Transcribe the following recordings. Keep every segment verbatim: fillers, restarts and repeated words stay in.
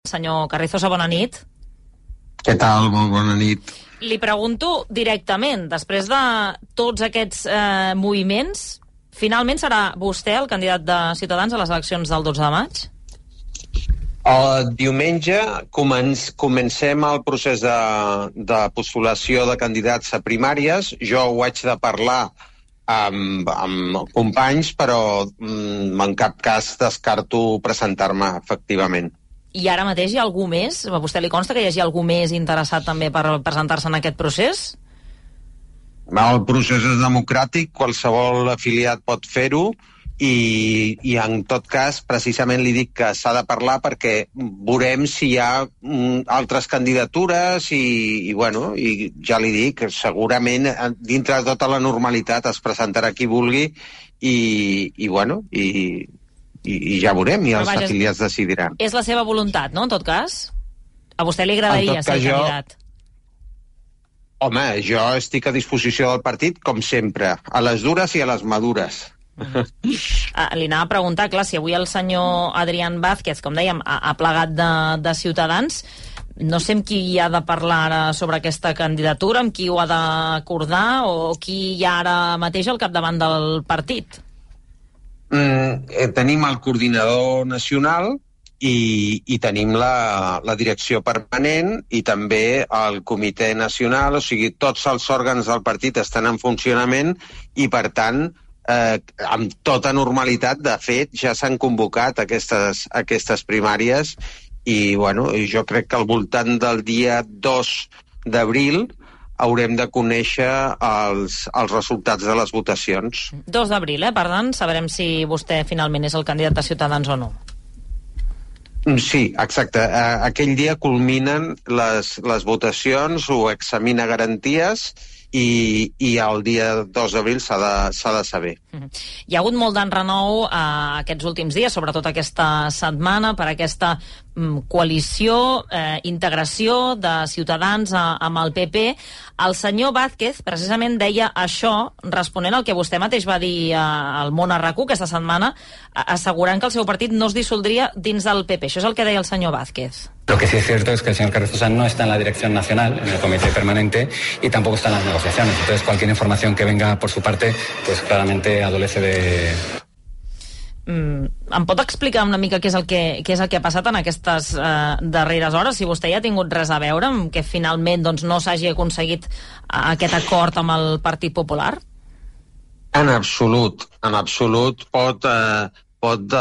Senyor Carrizosa, bona nit. Què tal? Molt bona nit. Li pregunto directament, després de tots aquests eh, moviments, finalment serà vostè el candidat de Ciutadans a les eleccions del dotze de maig? El diumenge començ, comencem el procés de, de postulació de candidats a primàries. Jo ho haig de parlar amb, amb companys, però mm, en cap cas descarto presentar-me, efectivament. I ara mateix hi ha algú més? A vostè li consta que hi hagi algú més interessat també per presentar-se en aquest procés? El procés és democràtic, qualsevol afiliat pot fer-ho, i, i en tot cas precisament li dic que s'ha de parlar perquè veurem si hi ha mm, altres candidatures i, i bueno, i ja li dic, segurament dintre de tota la normalitat es presentarà qui vulgui i, i bueno, i, i, i ja veurem, i els vaja, afiliats decidiran. És la seva voluntat, no?, en tot cas? A vostè li agradaria ser jo... candidat? Home, jo estic a disposició del partit, com sempre, a les dures i a les madures. Ah, li anava a preguntar, clar, si avui el senyor Adrián Vázquez, com dèiem, ha, ha plegat de, de Ciutadans, no sé amb qui hi ha de parlar ara sobre aquesta candidatura, amb qui ho ha d'acordar, o qui hi ha ara mateix al capdavant del partit? Mm, eh, tenim el coordinador nacional i, i tenim la, la direcció permanent i també el comitè nacional, o sigui, tots els òrgans del partit estan en funcionament i, per tant, Eh, amb tota normalitat, de fet, ja s'han convocat aquestes, aquestes primàries i, bueno, jo crec que al voltant del dia dos d'abril haurem de conèixer els, els resultats de les votacions. dos d'abril, eh? Per tant, sabrem si vostè finalment és el candidat de Ciutadans o no. Sí, exacte. Aquell dia culminen les, les votacions, ho examina garanties i, i el dia dos d'abril s'ha de, s'ha de saber. Hi ha hagut molt d'enrenou eh, aquests últims dies, sobretot aquesta setmana, per aquesta mm, coalició, eh, integració de Ciutadans a, amb el P P. El senyor Vázquez precisament deia això, responent al que vostè mateix va dir eh, al Món a RAC u aquesta setmana, assegurant que el seu partit no es dissoldria dins del P P. Això és el que deia el senyor Vázquez. Lo que sí es cierto es que el señor Carrizosa no está en la dirección nacional, en el comité permanente, y tampoco está en las negociaciones. Entonces, cualquier información que venga por su parte, pues claramente adolece de... Mm, em pot explicar una mica què és el que, què és el que ha passat en aquestes eh, darreres hores? Si vostè ja ha tingut res a veure amb que finalment doncs, no s'hagi aconseguit aquest acord amb el Partit Popular? En absolut, en absolut pot... Eh... pot de,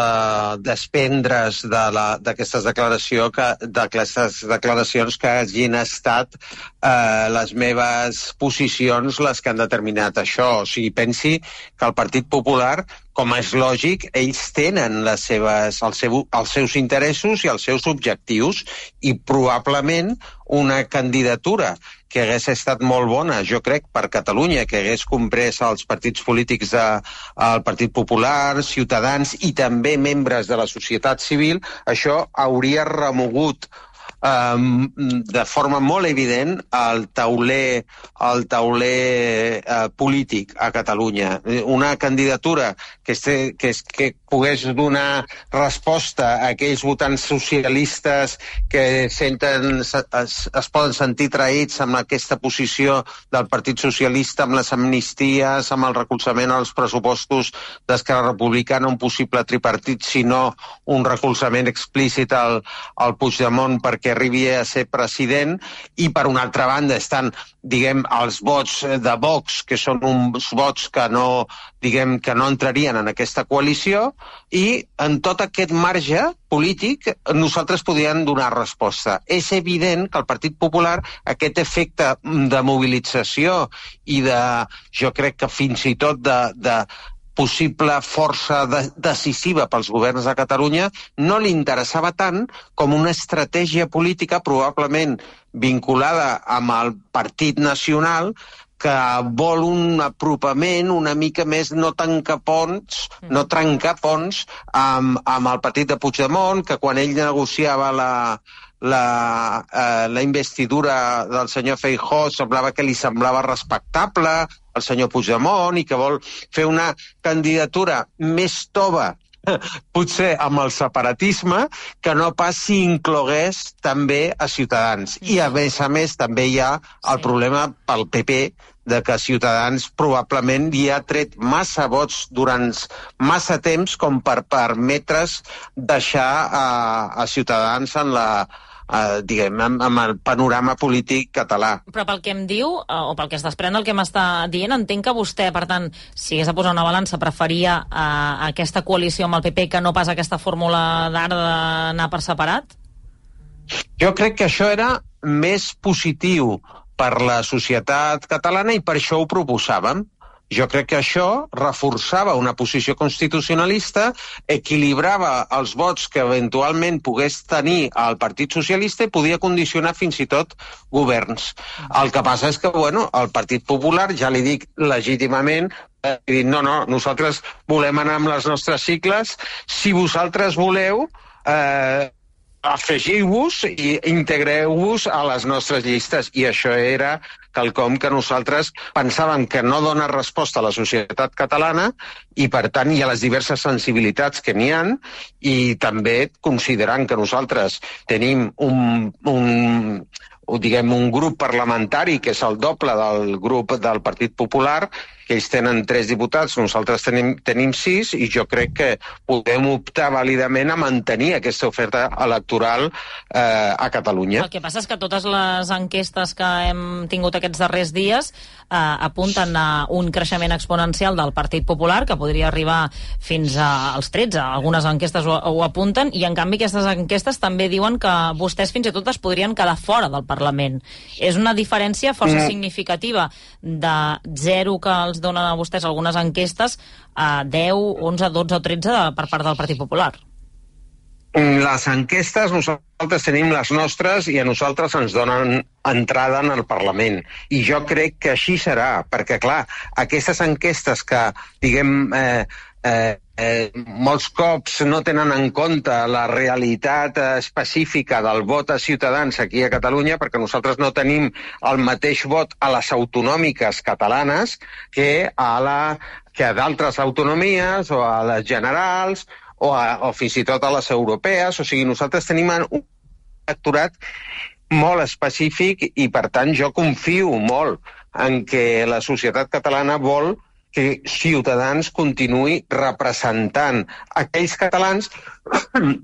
desprendre's d'aquestes de declaració que, d'aquestes declaracions que hagin estat eh, les meves posicions les que han determinat això. O sigui, pensi que el Partit Popular, com és lògic, ells tenen les seves, els, seu, els seus interessos i els seus objectius i probablement una candidatura que hagués estat molt bona, jo crec, per Catalunya, que hagués comprès els partits polítics del de, Partit Popular, Ciutadans i també membres de la societat civil, això hauria remogut Um, de forma molt evident el tauler, el tauler uh, polític a Catalunya. Una candidatura que, este, que, que pogués donar resposta a aquells votants socialistes que senten, es, es poden sentir traïts amb aquesta posició del Partit Socialista, amb les amnisties, amb el recolzament als pressupostos d'Esquerra Republicana, un possible tripartit, sinó un recolzament explícit al, al Puigdemont perquè arribi a ser president, i per una altra banda estan, diguem, els vots de Vox, que són uns vots que no, diguem, que no entrarien en aquesta coalició, i en tot aquest marge polític nosaltres podríem donar resposta. És evident que el Partit Popular aquest efecte de mobilització i de, jo crec que fins i tot de, de possible força de, decisiva pels governs de Catalunya, no li interessava tant com una estratègia política probablement vinculada amb el Partit Nacional, que vol un apropament una mica més, no tancar ponts, no trencar ponts amb, amb el partit de Puigdemont, que quan ell negociava la, la, eh, la investidura del senyor Feijóo semblava que li semblava respectable al senyor Puigdemont, i que vol fer una candidatura més tova potser amb el separatisme, que no pas si inclogués també a Ciutadans. I a més a més també hi ha el problema pel P P de que Ciutadans probablement hi ha tret massa vots durant massa temps com per permetre's deixar a, a Ciutadans en la Uh, diguem, amb, amb el panorama polític català. Però pel que em diu, uh, o pel que es desprèn del que m'està dient, entenc que vostè, per tant, si hagués de posar una balança, preferia uh, aquesta coalició amb el P P que no pas aquesta fórmula d'ara d'anar per separat? Jo crec que això era més positiu per la societat catalana i per això ho proposàvem. Jo crec que això reforçava una posició constitucionalista, equilibrava els vots que eventualment pogués tenir el Partit Socialista i podia condicionar fins i tot governs. El que passa és que, bueno, el Partit Popular, ja li dic legítimament, ha dit, no, no, nosaltres volem anar amb les nostres sigles, si vosaltres voleu, eh, afegiu-vos i integreu-vos a les nostres llistes. I això era quelcom que nosaltres pensàvem que no dona resposta a la societat catalana i, per tant, hi ha les diverses sensibilitats que n'hi ha, i també considerant que nosaltres tenim un, un, diguem, un grup parlamentari que és el doble del grup del Partit Popular, que ells tenen tres diputats, nosaltres tenim, tenim sis, i jo crec que podem optar vàlidament a mantenir aquesta oferta electoral eh, a Catalunya. El que passa és que totes les enquestes que hem tingut aquests darrers dies eh, apunten a un creixement exponencial del Partit Popular, que podria arribar fins als tretze. Algunes enquestes ho, ho apunten, i en canvi aquestes enquestes també diuen que vostès fins i tot es podrien quedar fora del Parlament. És una diferència força mm. significativa de zero que els donen a vostès algunes enquestes a deu, onze, dotze o tretze de, per part del Partit Popular. Les enquestes, nosaltres tenim les nostres i a nosaltres ens donen entrada en el Parlament. I jo crec que així serà, perquè, clar, aquestes enquestes que, diguem, eh, eh, eh, molts cops no tenen en compte la realitat específica del vot a Ciutadans aquí a Catalunya, perquè nosaltres no tenim el mateix vot a les autonòmiques catalanes que a, la, que a d'altres autonomies o a les generals o, a, o fins i tot a les europees. O sigui, nosaltres tenim un electorat molt específic i, per tant, jo confio molt en que la societat catalana vol que Ciutadans continuï representant aquells catalans,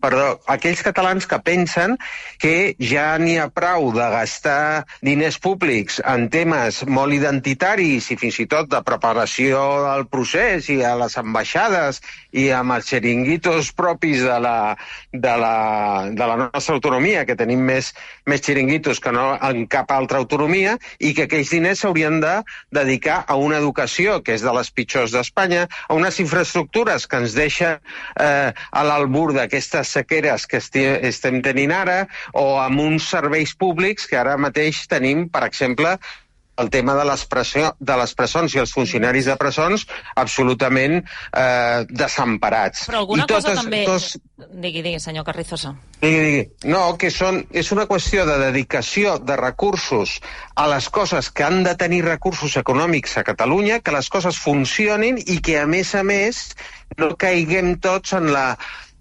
perdó, aquells catalans que pensen que ja n'hi ha prou de gastar diners públics en temes molt identitaris i fins i tot de preparació del procés i a les ambaixades i amb els xiringuitos propis de la, de la, de la nostra autonomia, que tenim més, més xiringuitos que no en cap altra autonomia, i que aquells diners s'haurien de dedicar a una educació que és de les pitjors d'Espanya, a unes infraestructures que ens deixen eh, a l'albur d'aquestes sequeres que esti estem tenint ara, o amb uns serveis públics que ara mateix tenim, per exemple, el tema de les, de les presons i els funcionaris de presons absolutament eh, desemparats. Però alguna I cosa totes, també... Tos... Digui, digui, senyor Carrizosa. Digui, digui. No, que són, és una qüestió de dedicació de recursos a les coses que han de tenir recursos econòmics a Catalunya, que les coses funcionin i que, a més a més, no caiguem tots en la...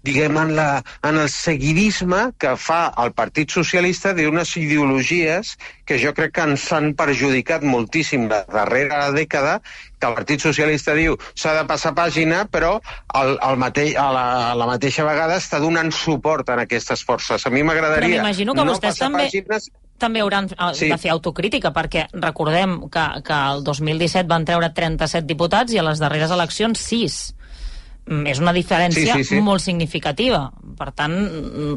diguem, en, la, en el seguidisme que fa el Partit Socialista d'unes ideologies que jo crec que ens han perjudicat moltíssim la darrera dècada, que el Partit Socialista diu s'ha de passar pàgina, però el, el mateix, a, la, a la mateixa vegada està donant suport a aquestes forces. A mi m'agradaria no passar també... pàgines... també hauran sí. de fer autocrítica, perquè recordem que, que el dos mil disset van treure trenta-set diputats i a les darreres eleccions sis. És una diferència sí, sí, sí. molt significativa. Per tant,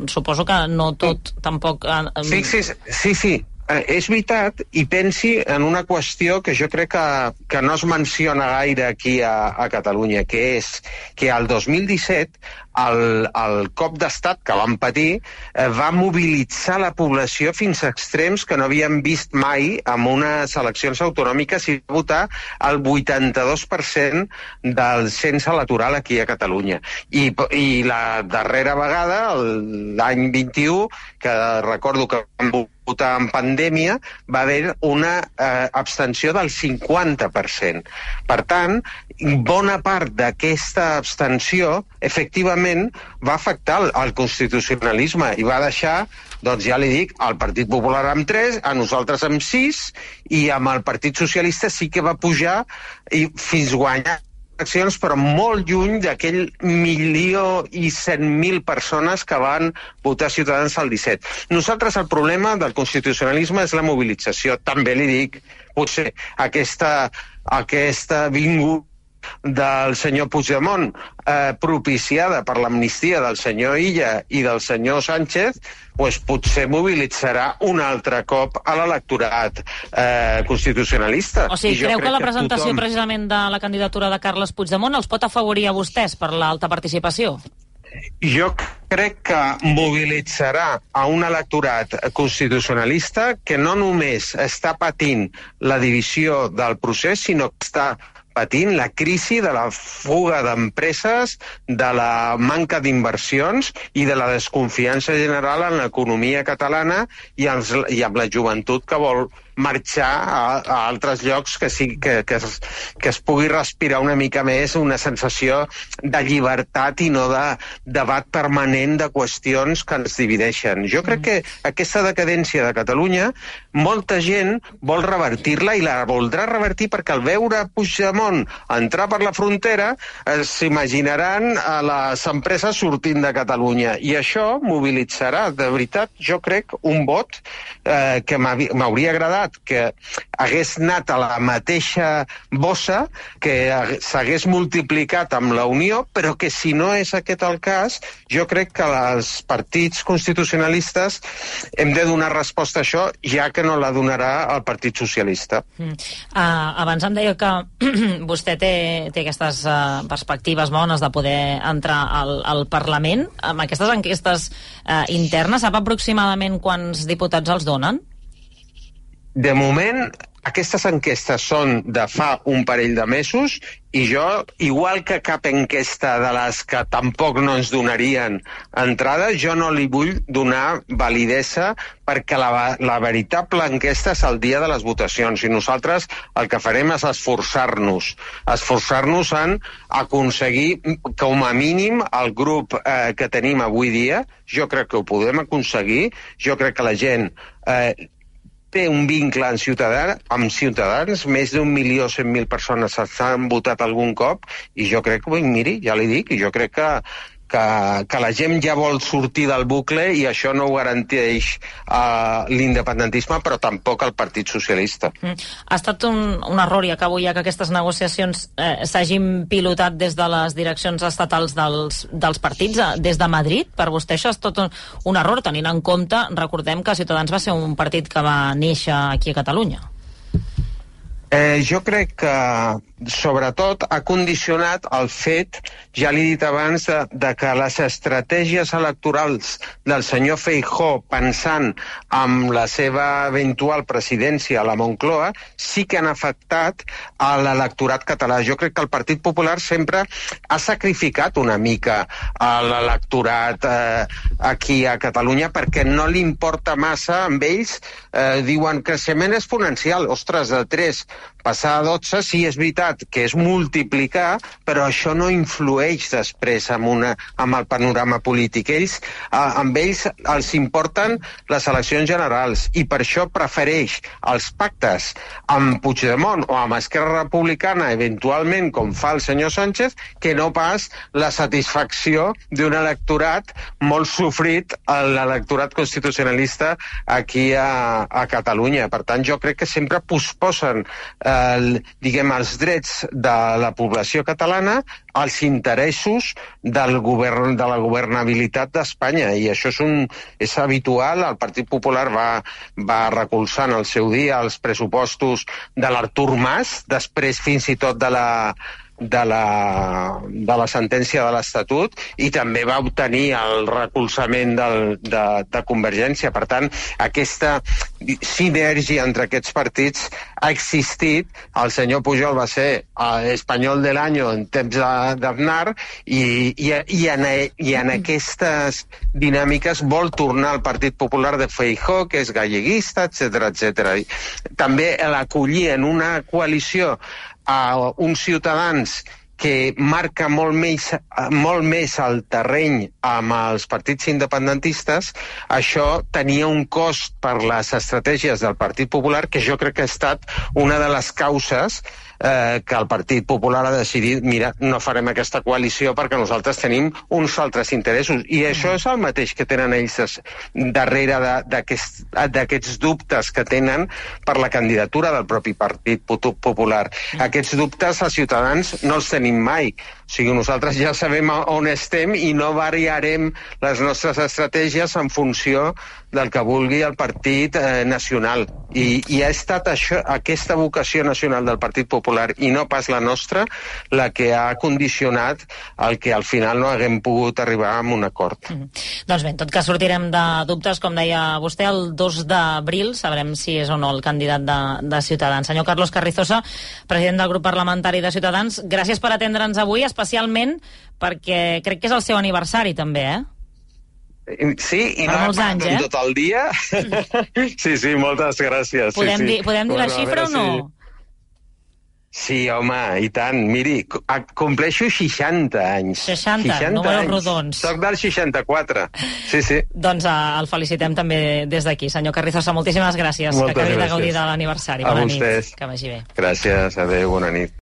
suposo que no tot tampoc... Fixis, sí, sí, és veritat, i pensi en una qüestió que jo crec que, que no es menciona gaire aquí a, a Catalunya, que és que al dos mil disset el, el cop d'estat que van patir eh, va mobilitzar la població fins a extrems que no havien vist mai en unes eleccions autonòmiques i va votar el vuitanta-dos per cent del cens electoral aquí a Catalunya. I, i la darrera vegada, l'any vint-i-u, que recordo que vam votar en pandèmia, va haver una eh, abstenció del cinquanta per cent. Per tant, bona part d'aquesta abstenció, efectivament, va afectar el, el constitucionalisme i va deixar, doncs ja li dic, el Partit Popular amb tres, a nosaltres amb sis, i amb el Partit Socialista sí que va pujar i fins guanyar accions, però molt lluny d'aquell milió i cent mil persones que van votar Ciutadans al disset. Nosaltres el problema del constitucionalisme és la mobilització. També li dic, potser aquesta, aquesta vingut del senyor Puigdemont, eh, propiciada per l'amnistia del senyor Illa i del senyor Sánchez, pues potser mobilitzarà un altre cop a l'electorat eh, constitucionalista. O sigui, creu que la presentació tothom... precisament de la candidatura de Carles Puigdemont els pot afavorir a vostès per l'alta participació? Jo crec que mobilitzarà a un electorat constitucionalista que no només està patint la divisió del procés, sinó que està patint la crisi de la fuga d'empreses, de la manca d'inversions i de la desconfiança general en l'economia catalana i, els, i amb la joventut que vol marxar a, a altres llocs que, sí, que, que, es, que es pugui respirar una mica més una sensació de llibertat i no de debat permanent de qüestions que ens divideixen. Jo crec que aquesta decadència de Catalunya molta gent vol revertir-la i la voldrà revertir perquè al veure Puigdemont entrar per la frontera eh, s'imaginaran a les empreses sortint de Catalunya i això mobilitzarà, de veritat, jo crec, un vot eh, que m'hauria agradat que hagués anat a la mateixa bossa, que s'hagués multiplicat amb la Unió, però que si no és aquest el cas, jo crec que els partits constitucionalistes hem de donar resposta a això, ja que no la donarà el Partit Socialista. Mm. Uh, abans em deia que vostè té, té aquestes uh, perspectives bones de poder entrar al, al Parlament. Amb aquestes enquestes uh, internes, sap aproximadament quants diputats els donen? De moment, aquestes enquestes són de fa un parell de mesos i jo, igual que cap enquesta de les que tampoc no ens donarien entrada, jo no li vull donar validesa perquè la, la veritable enquesta és el dia de les votacions i nosaltres el que farem és esforçar-nos, esforçar-nos en aconseguir com a mínim el grup eh, que tenim avui dia. Jo crec que ho podem aconseguir, jo crec que la gent eh, té un vincle en ciutadà, amb Ciutadans, més d'un milió cent mil persones s'han votat algun cop, i jo crec que, miri, ja li dic, jo crec que, que, que la gent ja vol sortir del bucle i això no ho garanteix uh, l'independentisme, però tampoc el Partit Socialista. Mm. Ha estat un, un error, i acabo ja, que aquestes negociacions eh, s'hagin pilotat des de les direccions estatals dels, dels partits, eh, des de Madrid. Per vostè això és tot un, un error, tenint en compte, recordem que Ciutadans va ser un partit que va néixer aquí a Catalunya. Eh, jo crec que, sobretot, ha condicionat el fet, ja l'he dit abans, de, de que les estratègies electorals del senyor Feijóo, pensant en la seva eventual presidència a la Moncloa, sí que han afectat a l'electorat català. Jo crec que el Partit Popular sempre ha sacrificat una mica a l'electorat eh, aquí a Catalunya perquè no li importa massa, amb ells eh, diuen creixement exponencial, ostres, de tres passar a dotze, sí, és veritat que és multiplicar, però això no influeix després amb, una, amb el panorama polític. Ells, eh, amb ells els importen les eleccions generals i per això prefereix els pactes amb Puigdemont o amb Esquerra Republicana, eventualment, com fa el senyor Sánchez, que no pas la satisfacció d'un electorat molt sofrit, l'electorat constitucionalista aquí a, a Catalunya. Per tant, jo crec que sempre posposen eh, el, diguem, els drets de la població catalana als interessos del govern, de la governabilitat d'Espanya, i això és, un, és habitual. El Partit Popular va, va recolzar en el seu dia els pressupostos de l'Artur Mas, després fins i tot de la de la, de la sentència de l'Estatut i també va obtenir el recolzament del, de, de Convergència. Per tant, aquesta sinergia entre aquests partits ha existit. El senyor Pujol va ser espanyol de l'any en temps d'Aznar i, i, i, en, i en aquestes dinàmiques vol tornar al Partit Popular de Feijóo, que és galleguista, etcètera, etcètera. També l'acollir en una coalició a uns Ciutadans que marca molt més, molt més el terreny amb els partits independentistes, això tenia un cost per les estratègies del Partit Popular que jo crec que ha estat una de les causes eh, que el Partit Popular ha decidit, mira, no farem aquesta coalició perquè nosaltres tenim uns altres interessos. I això és el mateix que tenen ells darrere d'aquests d'aquests dubtes que tenen per la candidatura del propi Partit Popular. Aquests dubtes als ciutadans no els tenim mai. O sigui, nosaltres ja sabem on estem i no variarem les nostres estratègies en funció del que vulgui el Partit eh, Nacional. I, i ha estat això, aquesta vocació nacional del Partit Popular i no pas la nostra la que ha condicionat el que al final no haguem pogut arribar a un acord. Mm. Doncs bé, en tot cas sortirem de dubtes, com deia vostè, el dos d'abril sabrem si és o no el candidat de, de Ciutadans. Senyor Carlos Carrizosa, president del grup parlamentari de Ciutadans, gràcies per atendre'ns avui, especialment perquè crec que és el seu aniversari també, eh? Sí, i per no molts anys, eh? tot el dia. Sí, sí, moltes gràcies. Podem, sí, sí. dir, podem dir bueno, la xifra o no? Si... Sí, home, i tant. Miri, compleixo seixanta anys. seixanta, seixanta números anys. rodons. Soc del seixanta-quatre. Sí, sí. Doncs uh, el felicitem també des d'aquí. Senyor Carrizosa, moltíssimes gràcies. Moltes que acabi gràcies. de gaudir de l'aniversari. A Bona vostès. nit. Que vagi bé. Gràcies, adéu, bona nit.